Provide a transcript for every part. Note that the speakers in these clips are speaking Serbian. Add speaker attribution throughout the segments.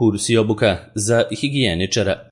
Speaker 1: Kurs i obuka za higijeničara.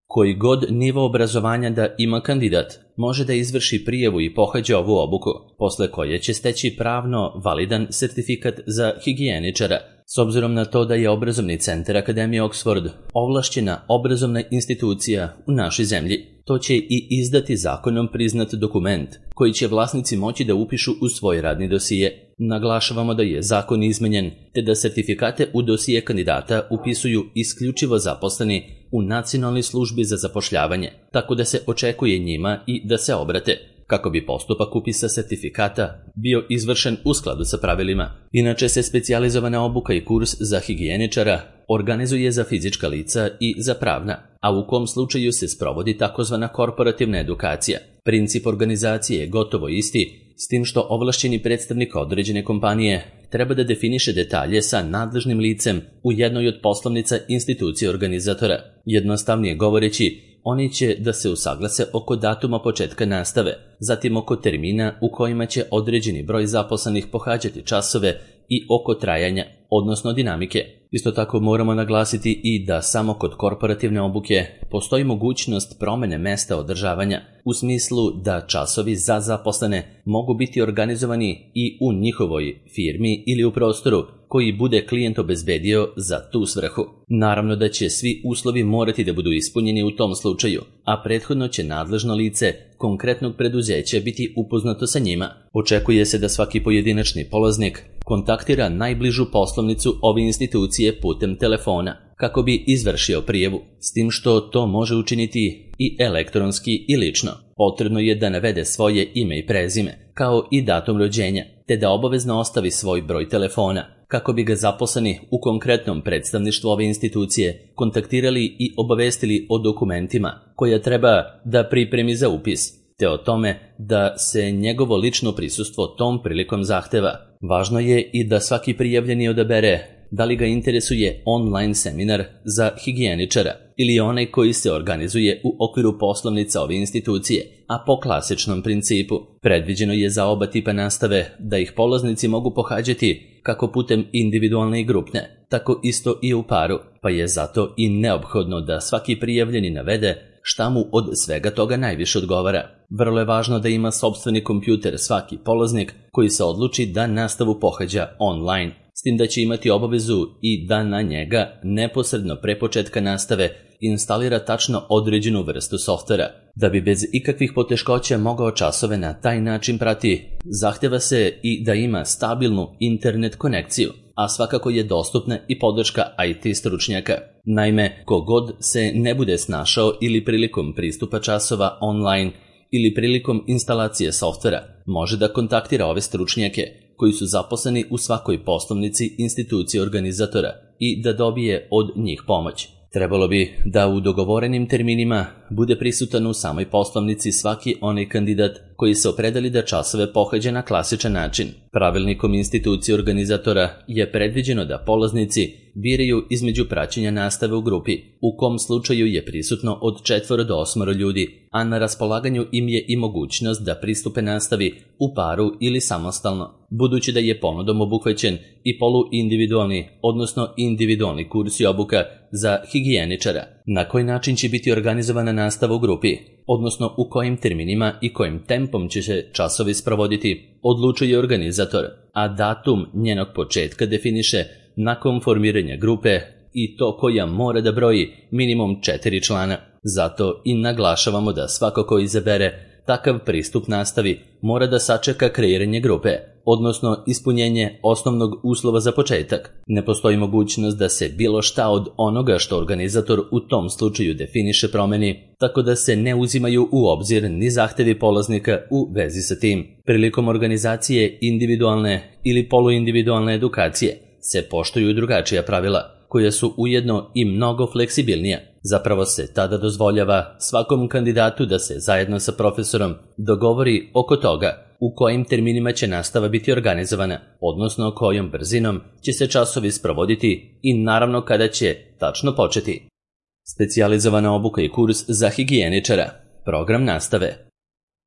Speaker 1: Koji god nivo obrazovanja da ima kandidat, može da izvrši prijavu i pohađa ovu obuku, posle koje će steći pravno validan sertifikat za higijeničara, s obzirom na to da je Obrazovni centar Akademije Oxford ovlašćena obrazovna institucija u našoj zemlji. To će i izdati zakonom priznat dokument koji će vlasnici moći da upišu u svoj radni dosije. Naglašavamo da je zakon izmenjen, te da sertifikate u dosije kandidata upisuju isključivo zaposleni u Nacionalnoj službi za zapošljavanje, tako da se očekuje njima i da se obrate, kako bi postupak upisa sertifikata bio izvršen u skladu sa pravilima. Inače se specijalizovana obuka i kurs za higijeničara organizuje za fizička lica i za pravna, a u kom slučaju se sprovodi takozvana korporativna edukacija. Princip organizacije je gotovo isti, s tim što ovlašćeni predstavnik određene kompanije treba da definiše detalje sa nadležnim licem u jednoj od poslovnica institucije organizatora. Jednostavnije govoreći, oni će da se usaglase oko datuma početka nastave, zatim oko termina u kojima će određeni broj zaposlenih pohađati časove i oko trajanja, odnosno dinamike. Isto tako moramo naglasiti i da samo kod korporativne obuke postoji mogućnost promene mesta održavanja, u smislu da časovi za zaposlene mogu biti organizovani i u njihovoj firmi ili u prostoru koji bude klijent obezbedio za tu svrhu. Naravno da će svi uslovi morati da budu ispunjeni u tom slučaju, a prethodno će nadležno lice konkretnog preduzeća biti upoznato sa njima. Očekuje se da svaki pojedinačni polaznik kontaktira najbližu poslovnicu ove institucije putem telefona kako bi izvršio prijavu, s tim što to može učiniti i elektronski i lično. Potrebno je da navede svoje ime i prezime, kao i datum rođenja, te da obavezno ostavi svoj broj telefona, kako bi ga zaposleni u konkretnom predstavništvu ove institucije kontaktirali i obavestili o dokumentima koja treba da pripremi za upis, te o tome da se njegovo lično prisustvo tom prilikom zahteva. Važno je i da svaki prijavljeni odabere da li ga interesuje online seminar za higijeničara ili onaj koji se organizuje u okviru poslovnica ove institucije, a po klasičnom principu. Predviđeno je za oba tipa nastave da ih polaznici mogu pohađati kako putem individualne i grupne, tako isto i u paru, pa je zato i neophodno da svaki prijavljeni navede šta mu od svega toga najviše odgovara. Vrlo je važno da ima sopstveni kompjuter svaki polaznik koji se odluči da nastavu pohađa online, s tim da će imati obavezu i da na njega neposredno pre početka nastave instalira tačno određenu vrstu softvera. Da bi bez ikakvih poteškoća mogao časove na taj način prati, zahteva se i da ima stabilnu internet konekciju, a svakako je dostupna i podrška IT stručnjaka. Naime, kogod se ne bude snašao ili prilikom pristupa časova online ili prilikom instalacije softvera, može da kontaktira ove stručnjake koji su zaposleni u svakoj poslovnici institucije organizatora i da dobije od njih pomoć. Trebalo bi da u dogovorenim terminima bude prisutan u samoj poslovnici svaki onaj kandidat koji se opredeli da časove pohađa na klasičan način. Pravilnikom institucije organizatora je predviđeno da polaznici biraju između praćenja nastave u grupi, u kom slučaju je prisutno od 4 do 8 ljudi, a na raspolaganju im je i mogućnost da pristupe nastavi u paru ili samostalno, budući da je ponudom obuhvaćen i poluindividualni, odnosno individualni kurs i obuka za higijeničara. Na koji način će biti organizovana nastava u grupi, odnosno u kojim terminima i kojim tempom će se časovi sprovoditi, odlučuje organizator, a datum njenog početka definiše nakon formiranja grupe i to koja mora da broji minimum 4 člana. Zato i naglašavamo da svako ko izabere takav pristup nastavi mora da sačeka kreiranje grupe, odnosno ispunjenje osnovnog uslova za početak. Ne postoji mogućnost da se bilo šta od onoga što organizator u tom slučaju definiše promeni, tako da se ne uzimaju u obzir ni zahtevi polaznika u vezi sa tim. Prilikom organizacije individualne ili poluindividualne edukacije se poštuju drugačija pravila, koja su ujedno i mnogo fleksibilnija. Zapravo se tada dozvoljava svakom kandidatu da se zajedno sa profesorom dogovori oko toga u kojim terminima će nastava biti organizovana, odnosno kojom brzinom će se časovi sprovoditi i naravno kada će tačno početi. Specijalizovana obuka i kurs za higijeničara. Program nastave.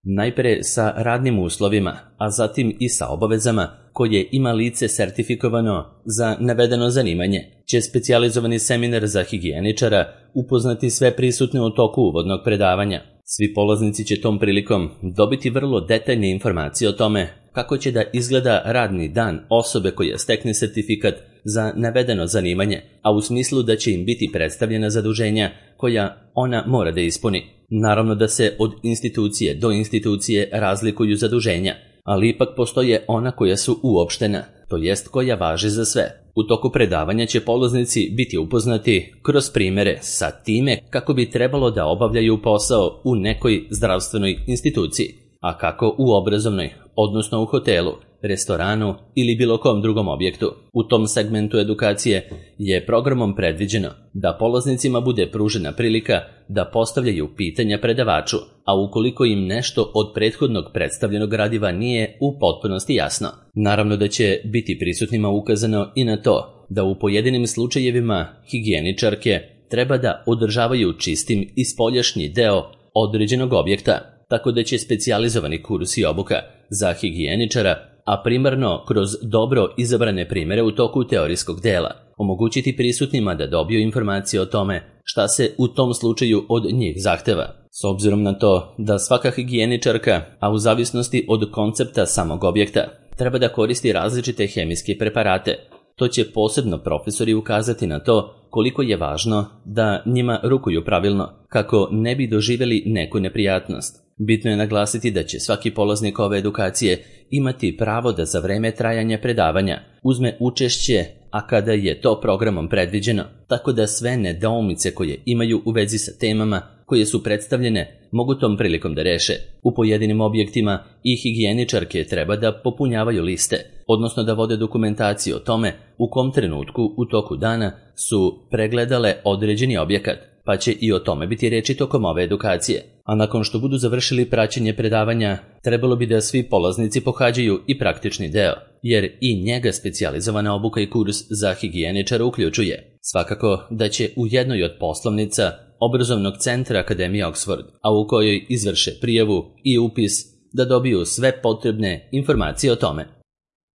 Speaker 1: Najpre sa radnim uslovima, a zatim i sa obavezama koje ima lice sertifikovano za navedeno zanimanje, će specijalizovani seminar za higijeničara upoznati sve prisutne u toku uvodnog predavanja. Svi polaznici će tom prilikom dobiti vrlo detaljne informacije o tome kako će da izgleda radni dan osobe koja stekne sertifikat za navedeno zanimanje, a u smislu da će im biti predstavljena zaduženja koja ona mora da ispuni. Naravno da se od institucije do institucije razlikuju zaduženja, ali ipak postoje ona koja su uopštena, to jest koja važe za sve. U toku predavanja će polaznici biti upoznati kroz primere sa time kako bi trebalo da obavljaju posao u nekoj zdravstvenoj instituciji, a kako u obrazovnoj, odnosno u hotelu, restoranu ili bilo kom drugom objektu. U tom segmentu edukacije je programom predviđeno da polaznicima bude pružena prilika da postavljaju pitanja predavaču, a ukoliko im nešto od prethodnog predstavljenog gradiva nije u potpunosti jasno. Naravno da će biti prisutnima ukazano i na to da u pojedinim slučajevima higijeničarke treba da održavaju čistim i spoljašnji deo određenog objekta, tako da će specijalizovani kurs i obuka za higijeničara, a primarno kroz dobro izabrane primere u toku teorijskog dela, omogućiti prisutnima da dobiju informacije o tome šta se u tom slučaju od njih zahteva. S obzirom na to da svaka higijeničarka, a u zavisnosti od koncepta samog objekta, treba da koristi različite hemijske preparate, to će posebno profesori ukazati na to koliko je važno da njima rukuju pravilno, kako ne bi doživjeli neku neprijatnost. Bitno je naglasiti da će svaki polaznik ove edukacije imati pravo da za vreme trajanja predavanja uzme učešće, a kada je to programom predviđeno, tako da sve nedoumice koje imaju u vezi sa temama koje su predstavljene mogu tom prilikom da reše. U pojedinim objektima i higijeničarke treba da popunjavaju liste, odnosno da vode dokumentaciju o tome u kom trenutku u toku dana su pregledale određeni objekat, pa će i o tome biti reči tokom ove edukacije. A nakon što budu završili praćenje predavanja, trebalo bi da svi polaznici pohađaju i praktični deo, jer i njega specijalizovana obuka i kurs za higijeničara uključuje. Svakako da će u jednoj od poslovnica obrazovnog centra Akademije Oxford, a u kojoj izvrše prijavu i upis, da dobiju sve potrebne informacije o tome.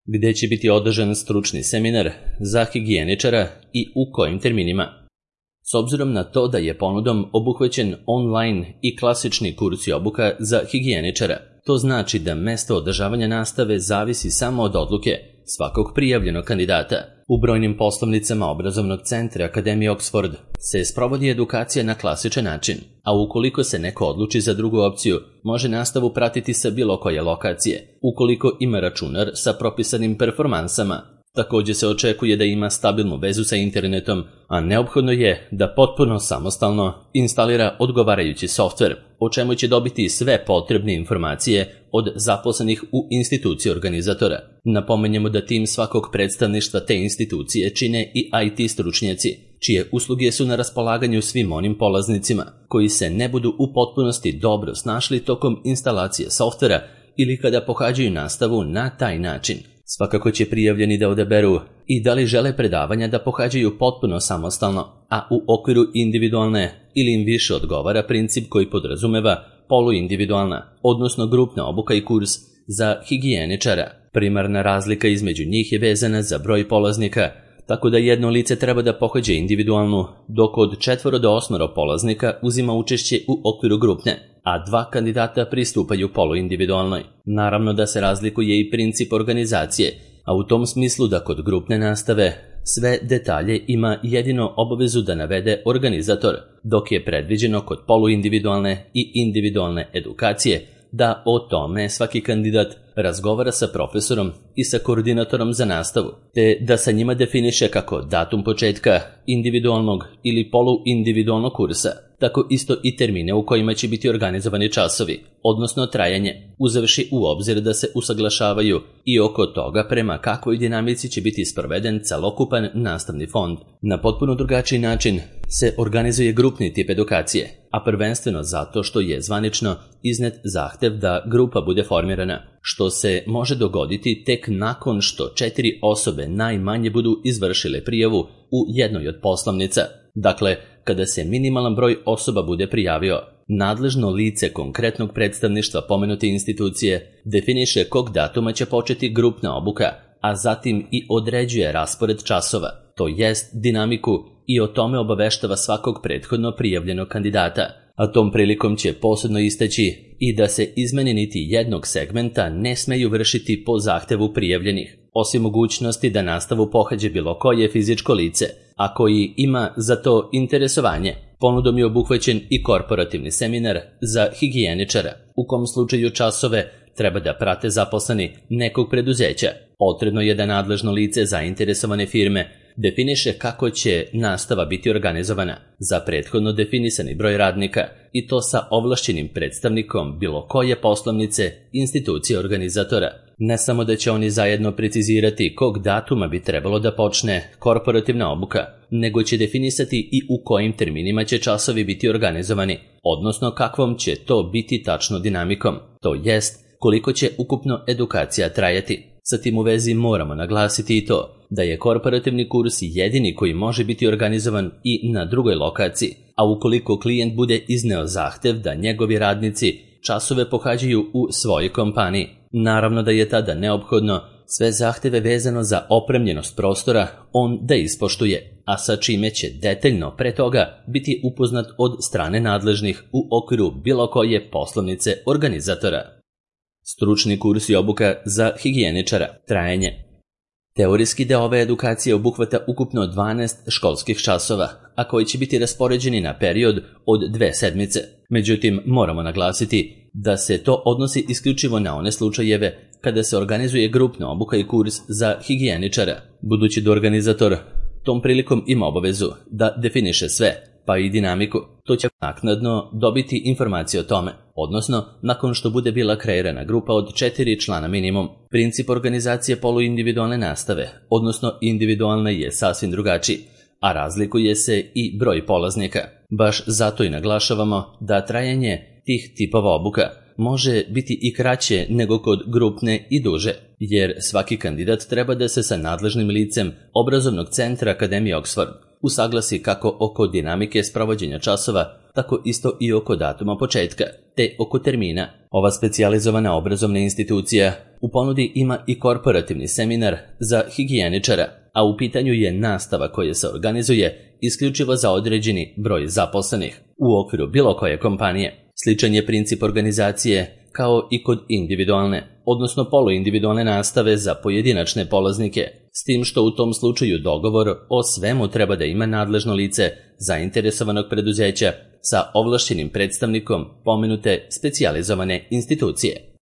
Speaker 1: Gde će biti održan stručni seminar za higijeničara i u kojim terminima? S obzirom na to da je ponudom obuhvaćen online i klasični kurs i obuka za higijeničara, to znači da mesto održavanja nastave zavisi samo od odluke svakog prijavljenog kandidata. U brojnim poslovnicama obrazovnog centra Akademije Oxford se sprovodi edukacija na klasičan način, a ukoliko se neko odluči za drugu opciju, može nastavu pratiti sa bilo koje lokacije, ukoliko ima računar sa propisanim performansama. Također se očekuje da ima stabilnu vezu sa internetom, a neophodno je da potpuno samostalno instalira odgovarajući softver, o čemu će dobiti sve potrebne informacije od zaposlenih u instituciji organizatora. Napomenjemo da tim svakog predstavništva te institucije čine i IT stručnjaci, čije usluge su na raspolaganju svim onim polaznicima koji se ne budu u potpunosti dobro snašli tokom instalacije softvera ili kada pohađaju nastavu na taj način. Svakako će prijavljeni da odaberu i da li žele predavanja da pohađaju potpuno samostalno, a u okviru individualne ili im više odgovara princip koji podrazumeva poluindividualna, odnosno grupna obuka i kurs za higijeničara. Primarna razlika između njih je vezana za broj polaznika, tako da jedno lice treba da pohađa individualnu, dok od 4 do 8 polaznika uzima učešće u okviru grupne, a 2 kandidata pristupaju poluindividualnoj. Naravno da se razlikuje i princip organizacije, a u tom smislu da kod grupne nastave sve detalje ima jedino obavezu da navede organizator, dok je predviđeno kod poluindividualne i individualne edukacije da o tome svaki kandidat razgovara sa profesorom i sa koordinatorom za nastavu, te da sa njima definiše kako datum početka individualnog ili poluindividualnog kursa, tako isto i termine u kojima će biti organizovani časovi, odnosno trajanje, uzevši u obzir da se usaglašavaju i oko toga prema kakvoj dinamici će biti sproveden celokupan nastavni fond. Na potpuno drugačiji način se organizuje grupni tip edukacije, a prvenstveno zato što je zvanično iznet zahtev da grupa bude formirana, što se može dogoditi tek nakon što 4 osobe najmanje budu izvršile prijavu u jednoj od poslovnica. Dakle, kada se minimalan broj osoba bude prijavio. Nadležno lice konkretnog predstavništva pomenute institucije definiše kog datuma će početi grupna obuka, a zatim i određuje raspored časova, to jest dinamiku, i o tome obaveštava svakog prethodno prijavljenog kandidata. A tom prilikom će posebno istaći i da se izmene niti jednog segmenta ne smeju vršiti po zahtevu prijavljenih, osim mogućnosti da nastavu pohađa bilo koje fizičko lice, a koji ima za to interesovanje. Ponudom je obuhvaćen i korporativni seminar za higijeničara, u kom slučaju časove treba da prate zaposleni nekog preduzeća. Potrebno je da nadležno lice zainteresovane firme definiše kako će nastava biti organizovana za prethodno definisani broj radnika, i to sa ovlašćenim predstavnikom bilo koje poslovnice, institucije organizatora. Ne samo da će oni zajedno precizirati kog datuma bi trebalo da počne korporativna obuka, nego će definisati i u kojim terminima će časovi biti organizovani, odnosno kakvom će to biti tačno dinamikom, to jest koliko će ukupno edukacija trajati. Sa tim u vezi moramo naglasiti i to da je korporativni kurs jedini koji može biti organizovan i na drugoj lokaciji, a ukoliko klijent bude izneo zahtev da njegovi radnici časove pohađaju u svojoj kompaniji, naravno da je tada neophodno sve zahteve vezano za opremljenost prostora on da ispoštuje, a sa čime će detaljno pre toga biti upoznat od strane nadležnih u okviru bilo koje poslovnice organizatora. Stručni kurs i obuka za higijeničara. Trajanje. Teorijski deo ove edukacije obuhvata ukupno 12 školskih časova, a koji će biti raspoređeni na period od 2 sedmice. Međutim, moramo naglasiti da se to odnosi isključivo na one slučajeve kada se organizuje grupna obuka i kurs za higijeničara, budući da organizator tom prilikom ima obavezu da definiše sve, pa i dinamiku. To će naknadno dobiti informacije o tome, odnosno nakon što bude bila kreirana grupa od 4 člana minimum. Princip organizacije poluindividualne nastave, odnosno individualna, je sasvim drugačiji, a razlikuje se i broj polaznika. Baš zato i naglašavamo da trajanje tih tipova obuka može biti i kraće nego kod grupne i duže, jer svaki kandidat treba da se sa nadležnim licem obrazovnog centra Akademije Oxford usaglasi kako oko dinamike sprovođenja časova, tako isto i oko datuma početka, te oko termina. Ova specijalizovana obrazovna institucija u ponudi ima i korporativni seminar za higijeničara, a u pitanju je nastava koja se organizuje isključivo za određeni broj zaposlenih u okviru bilo koje kompanije. Sličan je princip organizacije kao i kod individualne, odnosno poluindividualne nastave za pojedinačne polaznike, s tim što u tom slučaju dogovor o svemu treba da ima nadležno lice zainteresovanog preduzeća sa ovlašćenim predstavnikom pomenute specijalizovane institucije.